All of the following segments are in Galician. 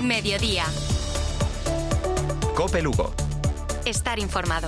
Mediodía. COPE Lugo. Estar informado.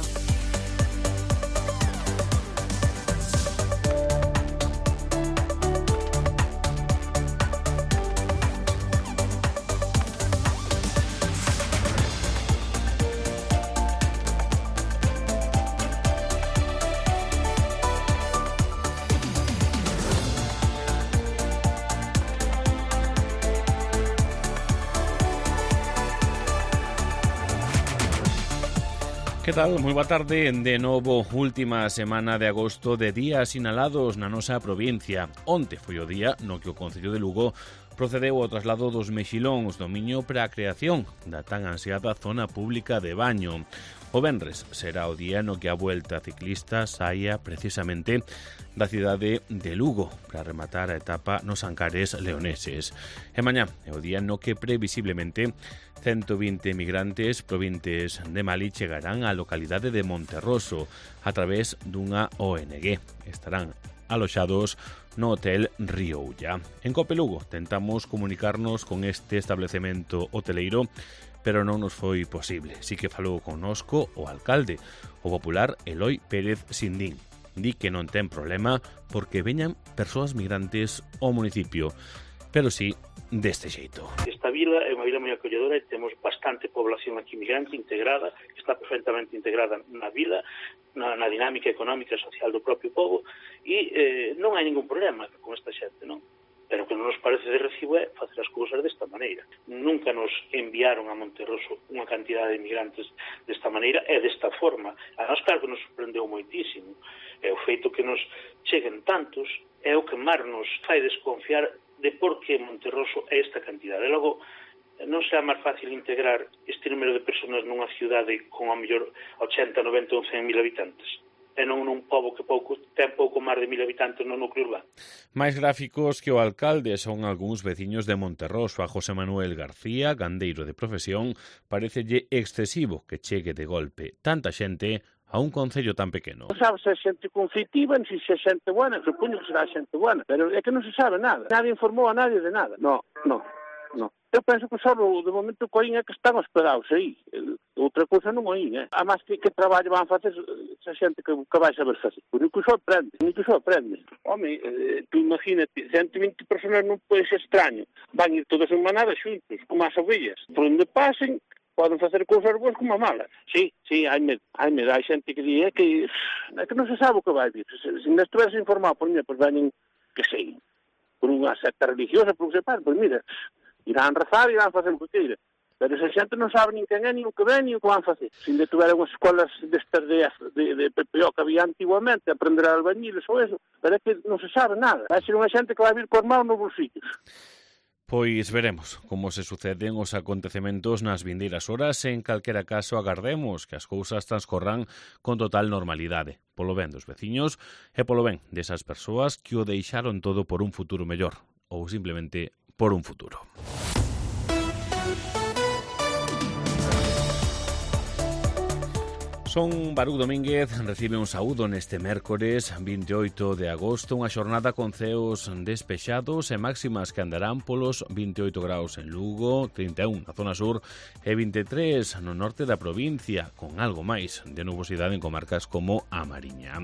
Que tal? Moi boa tarde. De novo, última semana de agosto de días sinalados na nosa provincia. Onte foi o día no que o Concello de Lugo procedeu ao traslado dos mexilóns do Miño para a creación da tan ansiada zona pública de baño. O venres será o día no que a Vuelta Ciclista saia precisamente da cidade de Lugo para rematar a etapa nos Ancares leoneses. E mañá é o día no que previsiblemente 120 migrantes provintes de Mali chegarán á localidade de Monterroso a través dunha ONG. Estarán aloxados no Hotel Río Ulla. En COPE Lugo tentamos comunicarnos con este establecemento hoteleiro, pero non nos foi posible. Si que falou connosco o alcalde, o popular Eloi Pérez Sindín. Di que non ten problema porque veñan persoas migrantes ao municipio, pero sí deste xeito. Esta vila é unha vila moi acolledora e temos bastante población aquí migrante integrada, que está perfectamente integrada na vila, na dinámica económica e social do propio povo, e non hai ningún problema con esta xente, non? Pero o que non nos parece de recibo é facer as cousas desta maneira. Nunca nos enviaron a Monterroso unha cantidade de migrantes desta maneira e desta forma. A nós, claro, que nos sorprendeu moitísimo. E o feito que nos cheguen tantos é o que máis nos fai desconfiar de por que Monterroso é esta cantidade. E logo, non será máis fácil integrar este número de persoas nunha cidade con a mellor 80, 90 ou 100 mil habitantes, e non nun pobo que ten pouco máis de 1000 habitantes no núcleo urbano. Mais gráficos que o alcalde son algúns veciños de Monterroso. A José Manuel García, gandeiro de profesión, parecelle excesivo que chegue de golpe tanta xente a un concello tan pequeno. Non sabe se é xente conflitiva, se é xente buena, supoño que será xente buena, pero é que non se sabe nada. Nadie informou a nadie de nada. No. Eu penso que só de momento co é que están hospedados aí. Outra cousa non oín, A máis que traballo van facer esa xente que vai saber facer. Ni que sorprende. Home, tú imagínate, 120 personas non pode ser extraño. Van ir todas en manada xuntos, como as ovellas. Por onde pasen, poden facer cousas boas como malas. Sí, hai medo. Hai xente que di que non se sabe o que vai vir. Se non estuveras informado por mí, pois veñen, que sei, por unha secta religiosa, por que se pare, pois mira, irán rezar e irán facer o que queira. Pero esa xente non sabe nin quen é, nin o que ven, nin o que van facer. Se ainda tuveran as escolas destas de PPO que había antiguamente, aprender a albañiles ou eso, pero é que non se sabe nada. Vai ser unha xente que vai vir con mãos nos bolsillos. Pois veremos como se suceden os acontecementos nas vindeiras horas. En calquera caso, agardemos que as cousas transcorran con total normalidade, polo ben dos veciños e polo ben desas persoas que o deixaron todo por un futuro mellor, ou simplemente por un futuro. Son Baruch Domínguez, recibe un saúdo neste mércores 28 de agosto, unha xornada con ceos despexados e máximas que andarán polos 28 graus en Lugo, 31 na zona sur e 23 no norte da provincia, con algo máis de nubosidade en comarcas como a Mariña.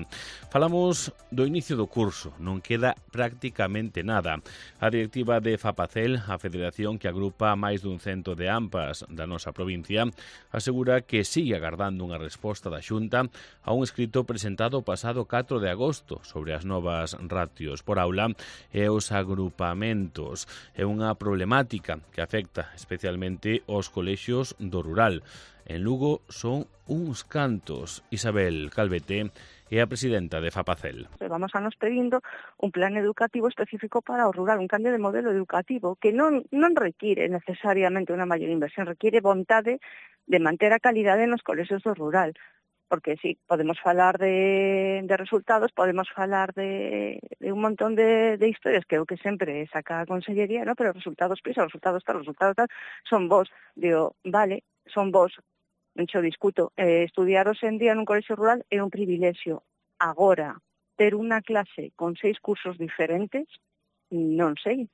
Falamos do inicio do curso, non queda prácticamente nada. A directiva de FAPACEL, a federación que agrupa máis dun cento de AMPAs da nosa provincia, asegura que sigue agardando unha resposta da Xunta a un escrito presentado o pasado 4 de agosto sobre as novas ratios por aula e os agrupamentos. É unha problemática que afecta especialmente aos colexios do rural. En Lugo son uns cantos. Isabel Calvete é a presidenta de FAPACEL. Vamos a nos pedindo un plan educativo específico para o rural, un cambio de modelo educativo que non require necesariamente unha maior inversión, require vontade de manter a calidade nos colexios do rural. Porque sí, podemos falar de resultados, podemos falar de un montón de historias que é o que sempre saca a Consellería, ¿no? Pero resultados resultados tal, son vos. Digo, vale, son vos. Non xo discuto. Estudiar hoxe en día nun colexio rural é un privilexio. Agora, ter unha clase con 6 cursos diferentes, non sei.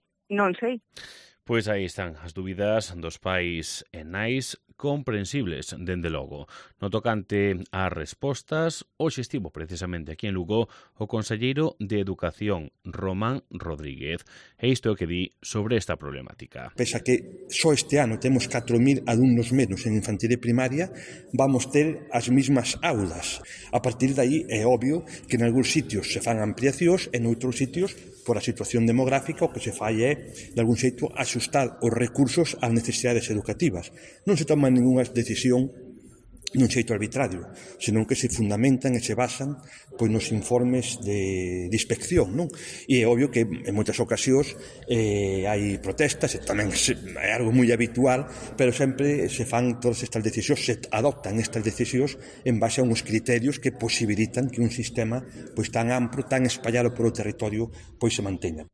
Pois aí están as dúbidas dos pais e nais comprensibles, dende logo. No tocante ás respostas, hoxe estivo precisamente aquí en Lugo o conselleiro de Educación, Román Rodríguez. E isto é o que di sobre esta problemática. Pese a que só este ano temos 4.000 alumnos menos en infantil e primaria, vamos ter as mismas aulas. A partir de aí é obvio que en algúns sitios se fan ampliacións e en outros sitios, por a situación demográfica, o que se fai é, de algún xeito, axustar os recursos ás necesidades educativas. Non se toma ninguna decisión nun xeito arbitrario, senón que se fundamentan e se basan pois nos informes de inspección, non? E é obvio que en moitas ocasións hai protestas, e tamén é algo moi habitual, pero sempre se fan todas estas decisións, se adoptan estas decisións en base a uns criterios que posibilitan que un sistema pois tan amplo, tan espallado polo territorio, pois se manteña.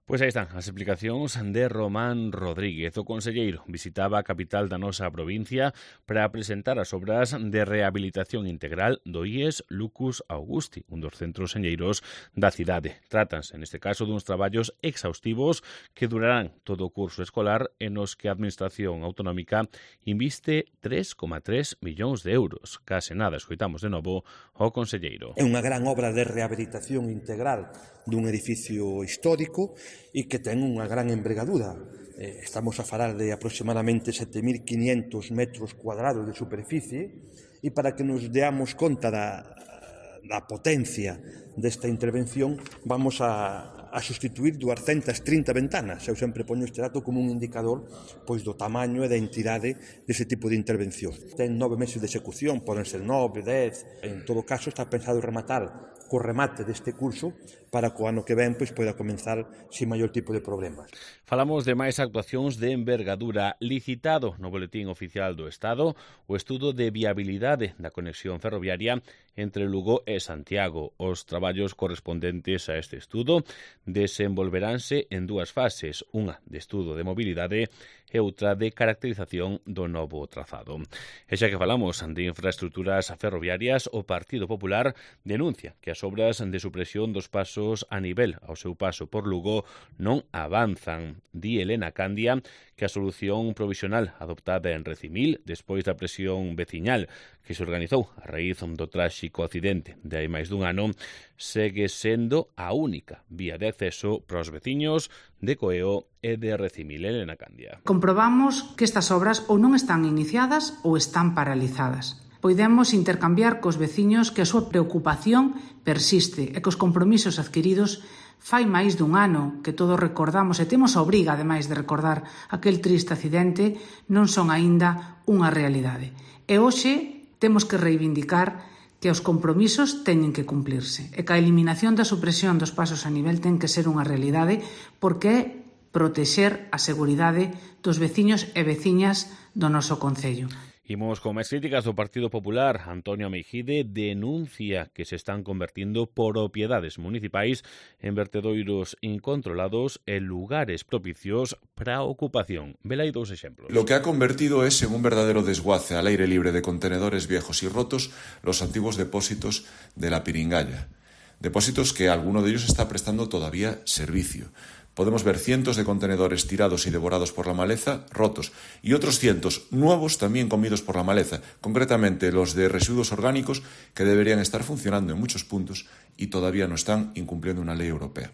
Pois aí están as explicacións de Román Rodríguez. O conselleiro visitaba a capital da nosa provincia para presentar as obras de rehabilitación integral do IES Lucus Augusti, un dos centros señeiros da cidade. Trátanse, neste caso, duns traballos exhaustivos que durarán todo o curso escolar e nos que a Administración Autonómica inviste 3,3 millóns de euros. Case nada, escoitamos de novo o conselleiro. É unha gran obra de rehabilitación integral dun edificio histórico e que ten unha gran envergadura. Estamos a falar de aproximadamente 7.500 metros cuadrados de superficie e para que nos deamos conta da potencia desta intervención vamos a sustituir 230 ventanas. Eu sempre poño este dato como un indicador pois do tamaño e da entidade dese tipo de intervención. Ten 9 meses de execución, poden ser 9, 10, en todo caso está pensado rematar co remate deste curso para que o ano que ven pois poida comenzar sin maior tipo de problemas. Falamos de máis actuacións de envergadura. Licitado no Boletín Oficial do Estado o estudo de viabilidade da conexión ferroviaria entre Lugo e Santiago. Os traballos correspondentes a este estudo desenvolveránse en dúas fases, unha de estudo de mobilidade e outra de caracterización do novo trazado. E xa que falamos de infraestructuras ferroviarias, o Partido Popular denuncia que as obras de supresión dos pasos a nivel ao seu paso por Lugo non avanzan. Di Elena Candia que a solución provisional adoptada en Recimil despois da presión veciñal que se organizou a raíz do tráxico accidente de hai máis dun ano segue sendo a única vía de acceso para os veciños de Coeo e de Recimil. Elena Candia. Comprobamos que estas obras ou non están iniciadas ou están paralizadas. Podemos intercambiar cos veciños que a súa preocupación persiste e que os compromisos adquiridos fai máis dun ano que todos recordamos e temos a obriga, ademais de recordar aquel triste accidente, non son aínda unha realidade. E hoxe temos que reivindicar que os compromisos teñen que cumplirse e que a eliminación da supresión dos pasos a nivel ten que ser unha realidade porque é protexer a seguridade dos veciños e veciñas do noso concello. Imos con máis críticas do Partido Popular. Antonio Meijide denuncia que se están convertindo propiedades municipais en vertedoiros incontrolados e lugares propicios para a ocupación. Vela aí dous exemplos. Lo que ha convertido es en un verdadero desguace al aire libre de contenedores viejos y rotos los antiguos depósitos de la Piringalla. Depósitos que alguno de ellos está prestando todavía servicio. Podemos ver cientos de contenedores tirados y devorados por la maleza, rotos, y otros cientos nuevos también comidos por la maleza, concretamente los de residuos orgánicos que deberían estar funcionando en muchos puntos y todavía no están incumpliendo una ley europea.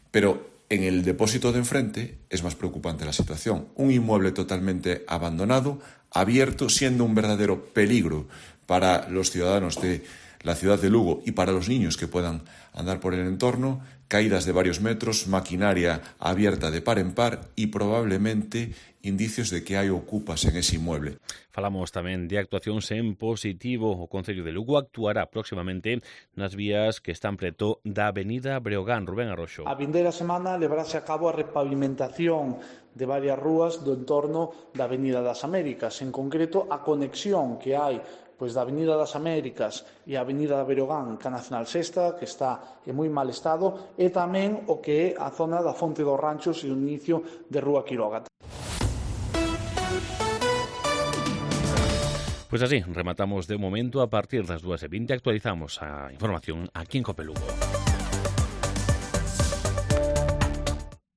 Pero en el depósito de enfrente es más preocupante la situación. Un inmueble totalmente abandonado, abierto, siendo un verdadero peligro para los ciudadanos de la ciudad de Lugo y para los niños que puedan andar por el entorno, caídas de varios metros, maquinaria abierta de par en par y probablemente indicios de que hai ocupas en ese inmueble. Falamos tamén de actuacións en positivo. O Concello de Lugo actuará próximamente nas vías que están preto da Avenida Breogán. Rubén Arroxo. A vindeira semana levarase a cabo a repavimentación de varias rúas do entorno da Avenida das Américas, en concreto a conexión que hai pois da Avenida das Américas e a Avenida da Breogán, que a Nacional Sexta, que está en moi mal estado, e tamén o que é a zona da Fonte dos Ranchos e o inicio de Rúa Quiroga. Pois así, rematamos de momento. A partir das 2:20 actualizamos a información aquí en COPE Lugo.